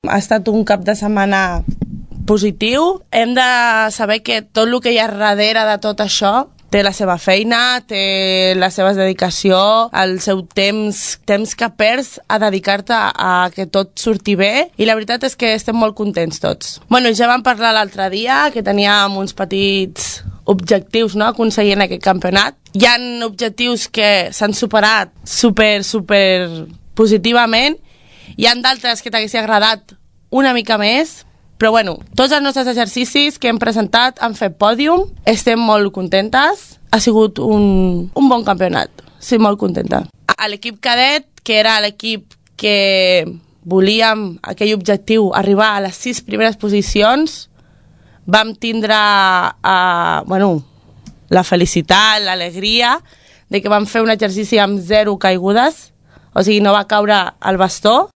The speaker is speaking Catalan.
Ha estat un cap de setmana positiu. Hem de saber que tot el que hi ha darrere de tot això té la seva feina, té la seva dedicació, el seu temps que perds a dedicar-te a que tot surti bé, i la veritat és que estem molt contents tots. Bueno, ja vam parlar l'altre dia que teníem uns petits objectius, no?, a aconseguir en aquest campionat. Hi ha objectius que s'han superat super positivament, hi ha d'altres que t'hagués agradat una mica més, però bueno, tots els nostres exercicis que hem presentat han fet pòdium, estem molt contentes, ha sigut un bon campionat, sí, molt contenta. A l'equip cadet, que era l'equip que volíem, aquell objectiu, arribar a les 6 primeres posicions, vam tindre la felicitat, l'alegria de que vam fer un exercici amb 0 caigudes, o sigui, no va caure el bastó.